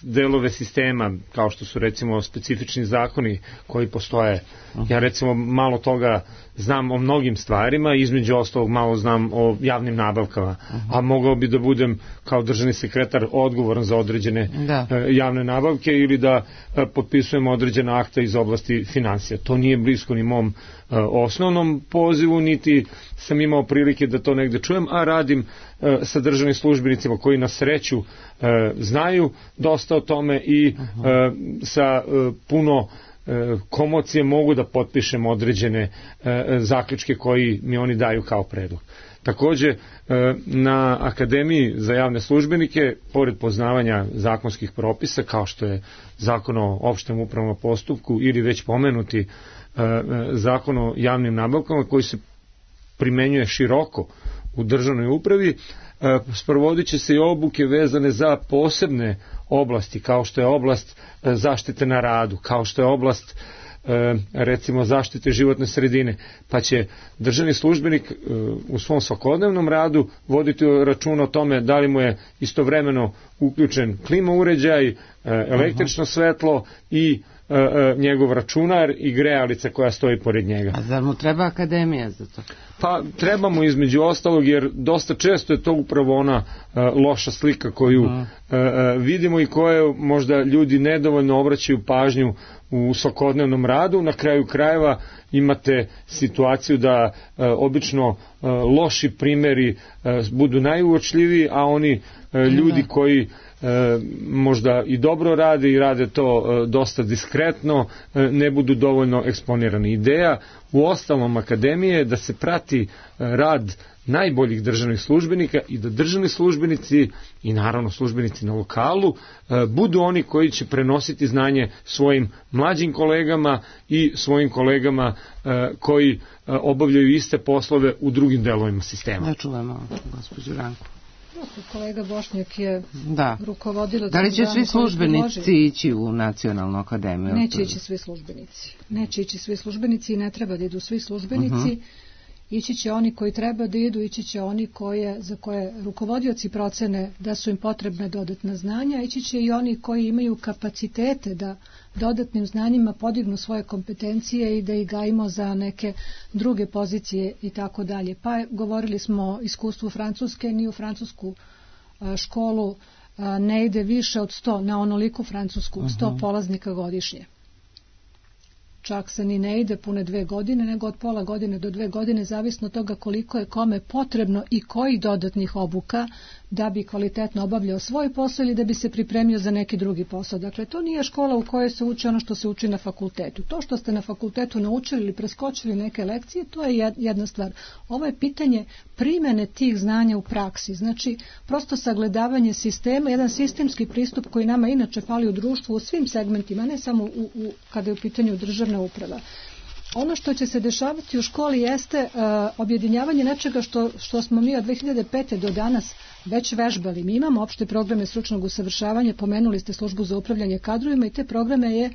delove sistema, kao što su recimo specifični zakoni koji postoje. Uh-huh. Ja recimo malo toga znam o mnogim stvarima, između ostalog malo znam o javnim nabavkama, uh-huh. a mogao bi da budem kao državni sekretar odgovoran za određene da. uh, javne nabavke ili da uh, potpisujem određena akta iz oblasti financija. To nije blisko ni mom uh, osnovnom pozivu, niti sam imao prilike da to negde čujem, a radim uh, sa državnim službenicima koji na sreću uh, znaju dosta o tome i uh, sa uh, puno komocije mogu da potpišem određene e, zaključke koji mi oni daju kao predlog. Takođe, e, na Akademiji za javne službenike, pored poznavanja zakonskih propisa, kao što je Zakon o opštem upravnom postupku ili već pomenuti e, Zakon o javnim nabavkama koji se primenjuje široko u državnoj upravi, e, sprovodit će se i obuke vezane za posebne oblasti, kao što je oblast zaštite na radu, kao što je oblast recimo zaštite životne sredine, pa će državni službenik u svom svakodnevnom radu voditi račun o tome da li mu je istovremeno uključen klima uređaj, električno svetlo i njegov računar i grejalica koja stoji pored njega. A zar mu treba akademija za to? Pa treba mu između ostalog, jer dosta često je to upravo ona loša slika koju uh, vidimo i koje možda ljudi nedovoljno obraćaju pažnju u svakodnevnom radu. Na kraju krajeva imate situaciju da uh, obično uh, loši primeri uh, budu najuočljiviji, a oni uh, ljudi koji E, možda i dobro rade i rade to e, dosta diskretno, e, ne budu dovoljno eksponirani. Ideja u ostalom akademije je da se prati e, rad najboljih državnih službenika i da državni službenici i naravno službenici na lokalu e, budu oni koji će prenositi znanje svojim mlađim kolegama i svojim kolegama e, koji e, obavljaju iste poslove u drugim delovima sistema. Da čujemo gospođu Ranku. Kolega Bošnjak je da. rukovodilac. Da li će svi službenici ići u Nacionalnu akademiju? Neće ići svi službenici. Neće ići svi službenici i ne treba da idu svi službenici. Uh-huh. Ići će oni koji treba da idu, ići će oni koje, za koje rukovodioci procene da su im potrebne dodatna znanja, ići će i oni koji imaju kapacitete da dodatnim znanjima podignu svoje kompetencije i da ih gajimo za neke druge pozicije i tako dalje. Pa govorili smo o iskustvu Francuske, ni u francusku školu ne ide više od sto, na onoliku francusku, sto uh-huh. polaznika godišnje. Čak se ni ne ide pune dve godine, nego od pola godine do dve godine, zavisno od toga koliko je kome potrebno i kojih dodatnih obuka da bi kvalitetno obavljao svoj posao ili da bi se pripremio za neki drugi posao. Dakle, to nije škola u kojoj se uči ono što se uči na fakultetu. To što ste na fakultetu naučili ili preskočili neke lekcije, to je jedna stvar. Ovo je pitanje primene tih znanja u praksi. Znači, prosto sagledavanje sistema, jedan sistemski pristup koji nama inače fali u društvu u svim segmentima, ne samo u, u, kada je u pitanju državna uprava. Ono što će se dešavati u školi jeste uh, objedinjavanje nečega što, što smo mi od dve hiljade pete do danas već vežbali. Mi imamo opšte programe stručnog usavršavanja, pomenuli ste službu za upravljanje kadrovima i te programe je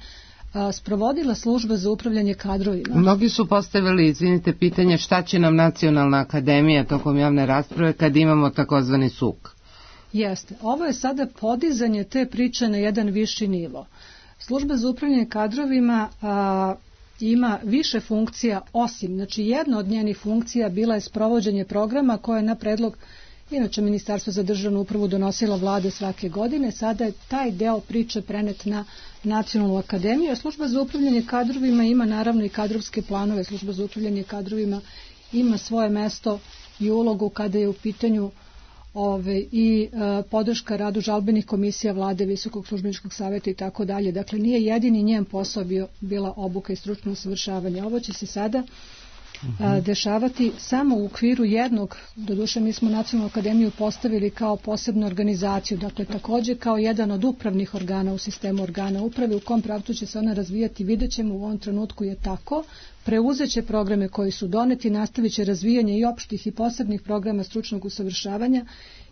a, sprovodila služba za upravljanje kadrovima. Mnogi su postavili, izvinite, pitanje šta će nam Nacionalna akademija tokom javne rasprave kad imamo takozvani S U K. Jeste. Ovo je sada podizanje te priče na jedan viši nivo. Služba za upravljanje kadrovima a, ima više funkcija osim, znači jedna od njenih funkcija bila je sprovođenje programa koje je na predlog inače Ministarstvo za državnu upravu donosila vlade svake godine. Sada je taj deo priče prenet na Nacionalnu akademiju, a služba za upravljanje kadrovima ima naravno i kadrovske planove. Služba za upravljanje kadrovima ima svoje mesto i ulogu kada je u pitanju ove, i e, podrška radu žalbenih komisija vlade, Visokog službeničkog savjeta i tako dalje. Dakle, nije jedini njen posao bio, bila obuka i stručno usavršavanje. Ovo će se sada a, dešavati samo u okviru jednog, doduše mi smo Nacionalnu akademiju postavili kao posebnu organizaciju, dakle takođe kao jedan od upravnih organa u sistemu organa uprave, u kom pravcu će se ona razvijati, vidjet ćemo, u ovom trenutku je tako, preuzeće programe koji su doneti, nastavit će razvijanje i opštih i posebnih programa stručnog usavršavanja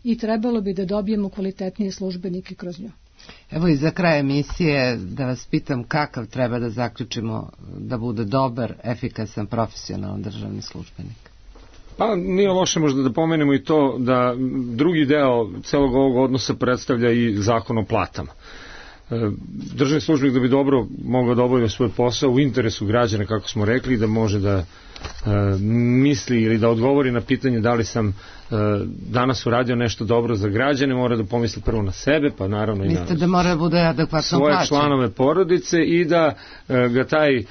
i trebalo bi da dobijemo kvalitetnije službenike kroz nju. Evo i za kraj emisije da vas pitam kakav treba da zaključimo da bude dobar, efikasan, profesionalan državni službenik. Pa nije loše možda da pomenemo i to da drugi deo celog ovog odnosa predstavlja i zakon o platama. Državni službenik da bi dobro mogao da obavlja svoj posao u interesu građana, kako smo rekli, da može da e, misli ili da odgovori na pitanje da li sam e, danas uradio nešto dobro za građane, mora da pomisli prvo na sebe, pa naravno i na da mora da bude adekvatno svoje plaćen. Članove porodice i da e, ga taj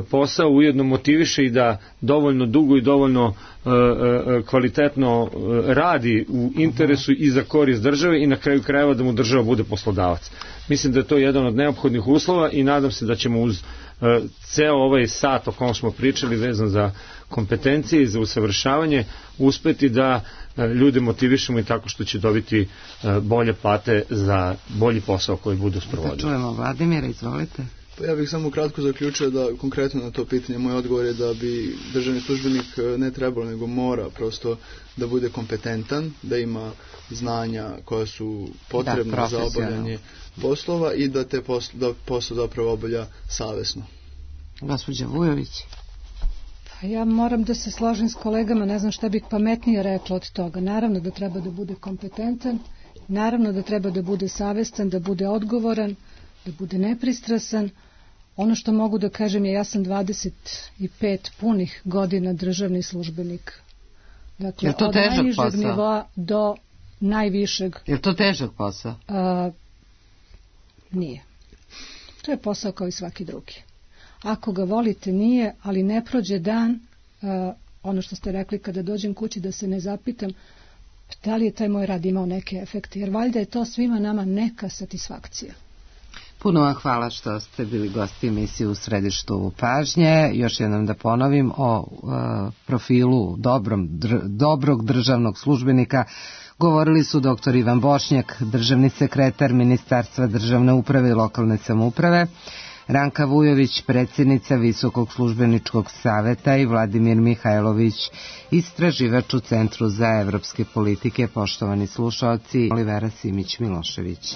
posao ujedno motiviše i da dovoljno dugo i dovoljno e, e, kvalitetno radi u interesu i za korist države i na kraju krajeva da mu država bude poslodavac. Mislim da je to jedan od neophodnih uslova i nadam se da ćemo uz uh, ceo ovaj sat o kom smo pričali vezan za kompetencije i za usavršavanje uspeti da uh, ljude motivišemo i tako što će dobiti uh, bolje plate za bolji posao koji budu sprovodili. Da čujemo Vladimira, izvolite. Pa ja bih samo kratko zaključio da konkretno na to pitanje moj odgovor je da bi državni službenik ne trebalo nego mora prosto da bude kompetentan, da ima znanja koja su potrebna da, za obavljanje poslova i da te poslo, da posao zapravo obavlja savesno. Gospođa Vujović. Pa ja moram da se složim s kolegama, ne znam šta bih pametnije rekla od toga. Naravno da treba da bude kompetentan, naravno da treba da bude savestan, da bude odgovoran, da bude nepristrasan. Ono što mogu da kažem je ja sam dvadeset pet punih godina državni službenik. Dakle, je to od najnižeg posao? Nivoa do najvišeg. Je to težak posao? A, nije. To je posao kao i svaki drugi. Ako ga volite, nije, ali ne prođe dan, a, ono što ste rekli, kada dođem kući da se ne zapitam da li je taj moj rad imao neke efekte, jer valjda je to svima nama neka satisfakcija. Puno vam hvala što ste bili gosti emisije U središtu pažnje. Još jednom da ponovim o uh, profilu dobrom, dr, dobrog državnog službenika govorili su doktor Ivan Bošnjak, državni sekretar Ministarstva državne uprave i lokalne samouprave, Ranka Vujović, predsjednica Visokog službeničkog saveta i Vladimir Mihajlović, istraživač u Centru za evropske politike. Poštovani slušaoci, Olivera Simić Milošević.